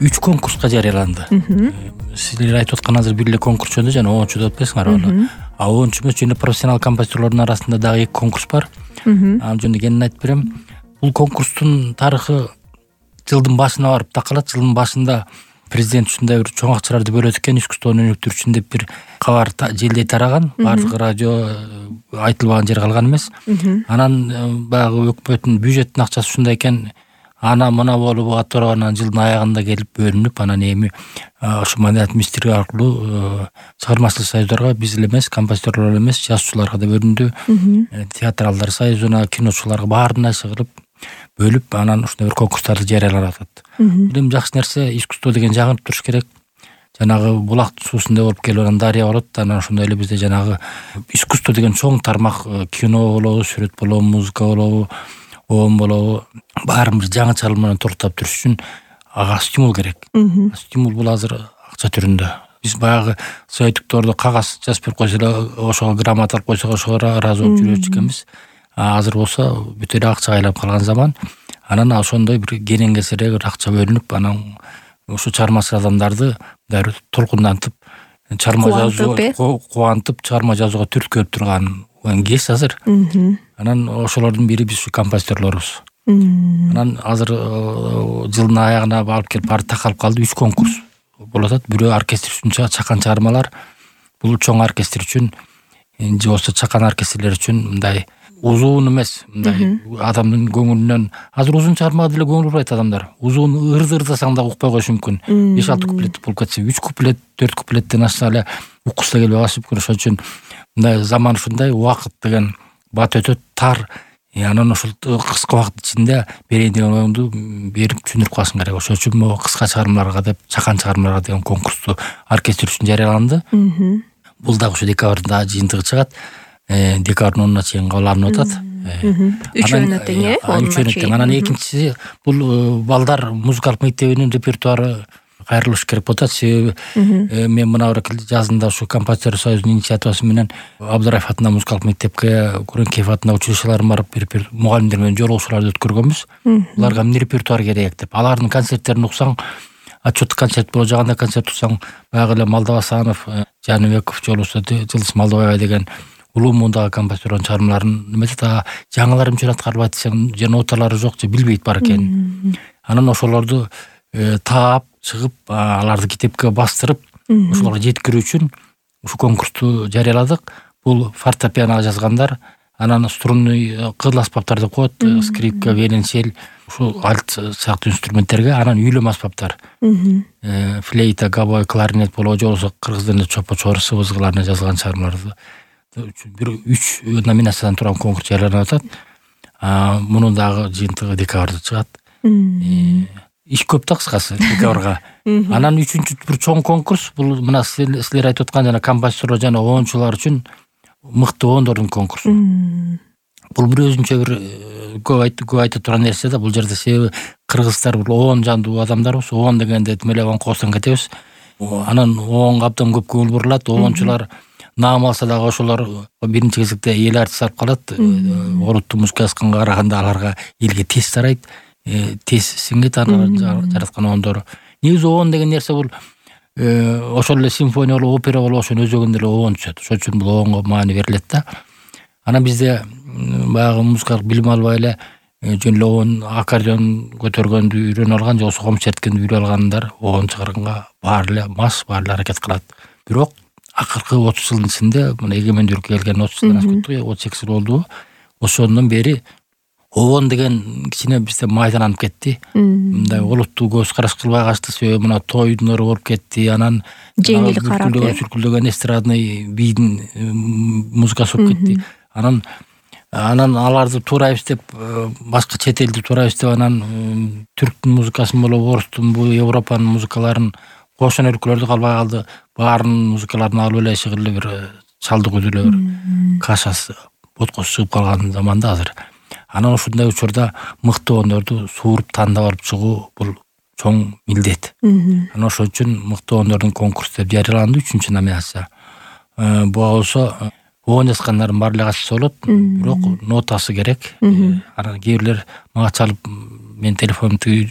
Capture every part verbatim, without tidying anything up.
үч конкурска жарыяланды. Силер айтып аткан азыр бир эле конкурс жөнүндө жана онунчу деп атпайсыңарбы аны? А онунчу эмес, жана профессионал композиторлордун арасында дагы эки конкурс бар. Ал жөнүндө кенен айтып берем. Бул конкурстун тарыхы жылдын башына барып такалат. Жылдын башында президент ушундай бир чоң акчаларды бөлөт экен, искусствону өнүктүрүү үчүн деп бир кабар желдей тараган. Бардык радио айтылбаган жер калган эмес. Анан баягы өкмөттүн бюджеттин акчасы ушундай экен. Ана мына болуп атырып, анан жылдын аягында келип бөлүнүп, анан эми ошо маданият министрлиги аркылуу чыгармачылык союздарга, биз эле эмес, композиторлор эле эмес, жазуучуларга да бөлүндү. Театралдар союзуна, киночуларга баарына чыгарып бөлүп, анан ушундай бир конкурстарды жарыялап атат. Бул эми жакшы нерсе, искусство деген жаңырып туруш керек. Жанагы булактын суусундай болуп келип анан дарыя болот. Анан ошондой эле бизде жанагы искусство деген чоң тармак, кино болобу, сүрөт болобу, музыка болобу, оон болобу, баарын бир жаңы чалым менен торуктап туруш үчүн ага стимул керек. Стимул бул азыр акча түрүндө. Биз баягы союздуктордо кагаз жазып берип койсо эле, ошого грамота алып койсок, ошого ыраазы болуп жүрүп экенбиз. Азыр болсо бүт эле акчага айланып калган заман. Анан ошондой бир кенен кесерээк бир акча бөлүнүп, анан ошо чыгармачыл адамдарды дайыр толкундантып, чыгарма жазуу кубантып, чыгарма жазууга түрткү берип турган кез азыр. Анан ошолордун бири биз композиторлорубуз. Анан азыр жылдын аягына алып келип баары такалып калды. Үч конкурс болуп атат. Бирөө оркестр үчүн чакан чыгармалар. Бул чоң оркестр үчүн, же болбосо чакан оркестрлер үчүн мындай узун эмес, мындай адамдын көңүлүнөн. Азыр узун чыгармага деле көңүл бурбайт адамдар. Узун ырды ырдасаң да укпай коюшу мүмкүн. беш алты куплет болуп кетсе, үч куплет, төрт куплеттен ашса эле уккусу келбей калышы мүмкүн. Ошон үчүн мындай заман ушундай, убакыт деген бат өтө тар. Анан ошол кыска убакыт ичинде берейин деген оюңду берип түшүндүрүп калышың керек. Ошон үчүн могу кыска чыгармаларга деп, чакан чыгармаларга деген конкурсту оркестр үчүн жарыяланды. Бул дагы ушу декабрда жыйынтыгы чыгат. Декабрдын онуна чейин кабыл алынып атат. Үчөөнө тең, э? Үчөөнө тең. Анан экинчиси бул балдар музыкалык мектебинин репертуары кайрылыш керек болуп атат. Себеби мен мына бир жазында ушу композитор союзунун инициативасы менен Абдыраев атындагы музыкалык мектепке, Куренкеев атындагы училищеларга барып мугалимдер менен жолугушууларды өткөргөнбүз. Буларга эмне репертуар керек деп. Алардын концерттерин уксаң, отчеттик концерт боло жаганда концерт уксаң, баягы эле Малдабасанов, Жаныбеков, же болбосо Жылдыз Малдыбаева деген улуу муундагы композитордун чыгармаларын эметет. Жаңылар эмче аткарылбайт десең, же ноталары жок, же билбейт бар экенин. Анан ошолорду таап чыгып, аларды китепке бастырып, ошолорго жеткирүү үчүн ушу конкурсту жарыяладык. Бул фортепиано жазгандар, анан струнный кыдыл аспаптар деп коет, скрипка, виолончель, ушул альт сыяктуу инструменттерге, анан үйлөм аспаптар, флейта, габой, кларинет болобу, же болбосо кыргыз тилинде чопо, чор, сыбызгыларына жазылган чыгармаларды бир үч номинациядан турган конкурс жарыяланып атат. Мунун дагы жыйынтыгы декабрда чыгат. Иш көп да кыскасы декабрга. Анан үчүнчү бир чоң конкурс, бул мына силер айтып аткан жана композиторлор жана оончулар үчүн мыкты оондордун конкурсу. Бул бир өзүнчө бир көп айта турган нерсе да. Бул жерде себеби кыргыздар бул оон жандуу адамдарбыз. Оон дегенде тим эле оон коосун кетебиз. Анан оонго абдан көп көңүл бурулат. Оончулар наам алса дагы ошолор биринчи кезекте эл артист алып калат. Олуттуу музыка жазганга караганда аларга элге тез тарайт, тез сиңет алардын жараткан оондору. Негизи оон деген нерсе бул ошол эле симфония болобу, опера болобу, ошонун өзөгүндө эле оон түшөт. Ошон үчүн бул оонго маани берилет да. Анан бизде баягы музыкалык билим албай эле жөн эле оон аккордеон көтөргөндү үйрөнүп алган, же болбосо ком черткенди үйрөнүп алгандар оон чыгарганга баары эле мас, баары эле аракет кылат. Бирок акыркы отуз жылдын ичинде, мына эгемендүүлүккө келген отуз жылдан ашып кетти, отуз сегиз жыл болду. Ошондон бери оон деген кичине бизде майдаланып кетти. Мындай олуттуу көз караш кылбай качты. Себеби мына тойдун өрү болуп кетти. Анан жеңил карап, сүркүлдөгөн эстрадный бийдин музыкасы болуп кетти. Анан анан аларды туурайбыз деп, башка чет элди туурайбыз деп, анан түрктүн музыкасын болобу, орустун, бу Европанын музыкаларын, кошон өлкөлөрдү калбай калды. Баарынын музыкаларын алып эле шыгырлы бир чалдык үзүлө бир кашасы, боткосу чыгып калган заманда азыр. Анан ушундай учурда мыкты оондорду сууруп тандап алып чыгуу бул чоң милдет. Анан ошон үчүн мыкты оондордун конкурсу деп жарыяланды, үчүнчү номинация. Буга болсо оон жазгандардын баары эле катышса болот, бирок нотасы керек. Анан кээ бирлер мага чалып, мен телефонумду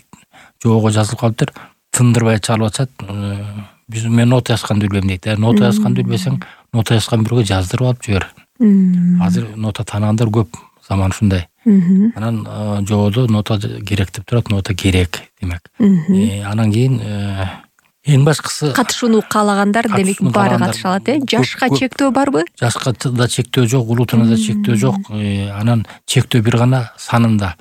жобого жазылып калыптыр. тындырбай чалып атышат. Биз мен нота жазганды билбейм дейт. Нота жазганды билбесең, нота жазган бирөөгө жаздырып алып жибер. Азыр нота таанагандар көп, заман ушундай. Анан жогодо нота керек деп турат, нота керек демек. Анан кийин эң башкысы катышууну каалагандар демек баары катыша алат, э? Жашка чектөө барбы? Жашка да чектөө жок, улутуна да чектөө жок. Анан чектөө бир гана санында.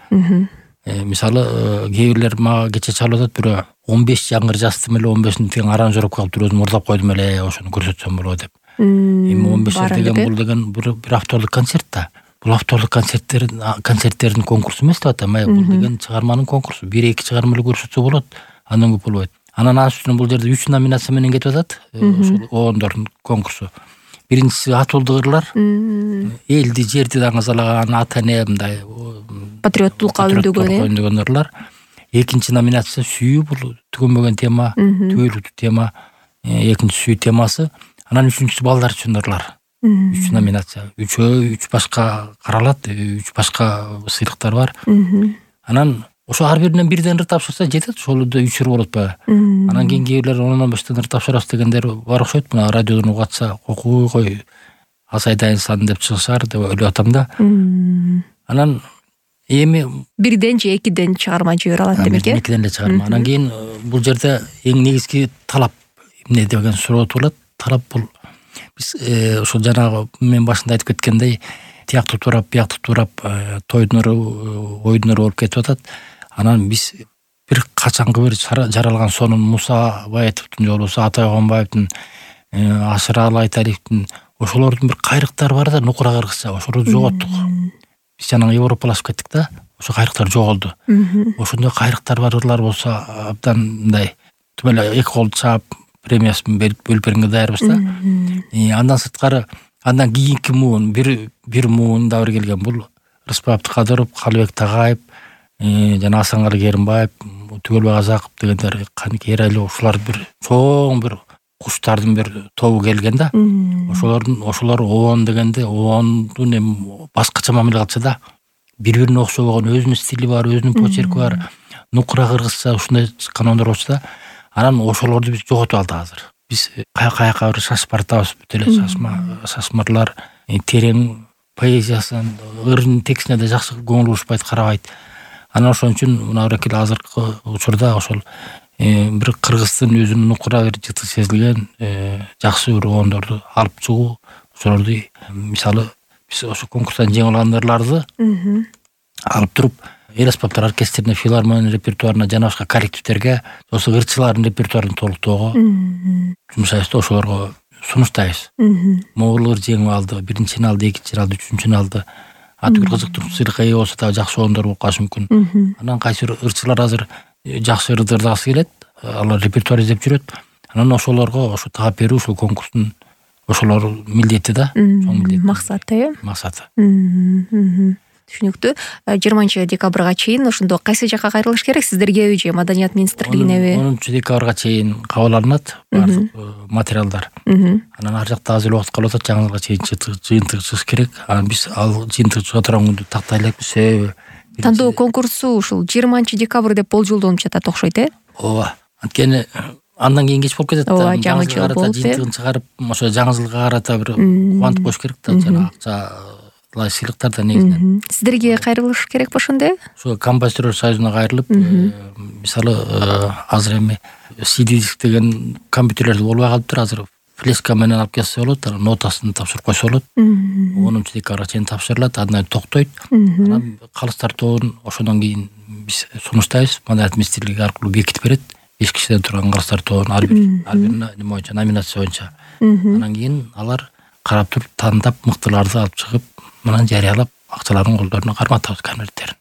Мисалы, кээ бирлер мага кече чалып атат, бирөө он беш жаңгыр жаздым эле, он бешинде тең аранжировка кылып туруп өзүм урлап койдум эле, ошону көрсөтсөм болот деп. Эми он беш деген бул деген бир авторлук концерт да. Бул авторлук концерттердин концерттердин конкурсу эмес деп атам. Бул деген чыгарманын конкурсу. бир эки чыгарма эле көрсөтсө болот, андан көп болбойт. Анан анын үстүнө бул жерде үч номинация менен кетип атат. Ошол оондордун конкурсу. Биринчиси атуулдуу ырлар, элди, жерди даңазалаган, ата эне мындай патриоттулукка үндөгөн ырлар. Экинчи номинация сүйүү, бул түгөнбөгөн тема, түбөлүктүү тема, экинчи сүйүү темасы. Анан үчүнчүсү балдар үчүн ырлар. Үч номинация. Үчөө үч башка каралат, үч башка сыйлыктар бар. Анан ошо ар биринен бирден ыр тапшырса жетет, ошол да үч ыр болот баягы. Анан кийин кээ бирлер ондон бештен ыр тапшырабыз дегендер бар окшойт. Мына радиодон угатса, кокуй кой асайдайын сан деп чыгышар деп ойлоп атам да. Анан эми бирден же экиден чыгарма жибере алат демек, э? Экиден эле чыгарма. Анан кийин бул жерде эң негизги талап эмне деген суроо туулат. Талап бул биз ошол жанагы мен башында айтып кеткендей, тияктуу турап, бияктуу турап, тойдун ыры, ойдун ыры болуп кетип атат. Анан биз бир качанкы бир жаралган сонун Муса Баетовдун же болбосо Атай Огонбаевдин, Ашыралы Айталиевдин ошолордун бир кайрыктары бар да, нукура кыргызча, ошолорду жоготтук. Биз жанагы европалашып кеттик да, ошо кайрыктар жоголду. Ошондой кайрыктар бар ырлар болсо абдан мындай түбөл эки колду чаап премиясын бөлүп бергенге даярбыз да. Андан сырткары, андан кийинки муун, бир бир муун да бир келген бул Рыспай Абдыкадыров, Калыбек Тагайып, жана Асанкалы Керимбаев, Түгөлбай Казаков дегендер, Каник Эрайлуу, ушулар бир чоң бир куштардын бир тобу келген да. Ошолордун ошолор оон дегенде, оондун эми башкача мамиле кылчу да. Бири-бирине окшобогон өзүнүн стили бар, өзүнүн почерки бар, нукура кыргызча ушундай чыккан оондар болчу да. Анан ошолорду биз жоготуп алдык азыр. Биз каяка бир шашып баратабыз, бүт эле шашма, шашмырлар, терең поэзиясын, ырдын текстине да жакшы көңүл бурушпайт, карабайт. Анан ошон үчүн мына бирки азыркы учурда ошол бир кыргыздын өзүнүн нукура бир жыты сезилген жакшы бир оондорду алып чыгуу, ошолорду мисалы биз ошо конкурстан жеңип алгандарды алып туруп эл аспаптар оркестрине, филармония репертуарына, жана башка коллективдерге, ошо ырчылардын репертуарын толуктоого жумшайбыз да, ошолорго сунуштайбыз. Могул ыр жеңип алды, биринчини алды, экинчини алды, үчүнчүнү алды. Атүгүл кызыктуу сыйлыкка ээ болсо да жакшы оондор болуп калышы мүмкүн. Анан кайсы бир ырчылар азыр жакшы ырды ырдагысы келет, алар репертуар издеп жүрөт. Анан ошолорго ошо таап берүү ушул конкурстун ошолор милдети да, чоң милдет. Максаты, э? Максаты. Түшүнүктүү. жыйырманчы декабрга чейин ошондо кайсы жакка кайрылыш керек сиздерге, же Маданият министрлигинеби? онунчу декабрга чейин кабыл алынат баардык материалдар. Анан ар жакта аз эле убакыт калып атат, жаңы жылга чейин жыйынтык чыгыш керек. Анан биз ал жыйынтык чыга турган күндү тактай элекпиз. Себеби тандоо конкурсу ушул жыйырманчы декабрь деп болжолдонуп жатат окшойт, э? Ооба. Анткени андан кийин кеч болуп кетет да. Ооба, жаңы жыл болуп, жыйынтыгын чыгарып, ошо жаңы жылга карата бир кубантып коюш керек да, жана акча лай сыйлыктар да негизинен. Сиздерге кайрылыш керек ошондо? Ошо композиторлор союзуна кайрылып, мисалы азыр эми си ди диск деген компьютерлерде болбой калыптыр, азыр флешка менен алып келсе болот, анан нотасын тапшырып койсо болот. онунчу декабрга чейин тапшырылат, андан токтойт. Анан калыс тартоонун ошондон кийин биз сунуштайбыз, Маданият министрлиги аркылуу бекитип берет. беш кишиден турган калыс тартоонун ар бир ар бир неме боюнча, номинация боюнча. Анан кийин алар карап туруп, тандап, мыктыларды алып чыгып, мынан жарыялап, акчаларын колдоруна карматабыз конверттерин.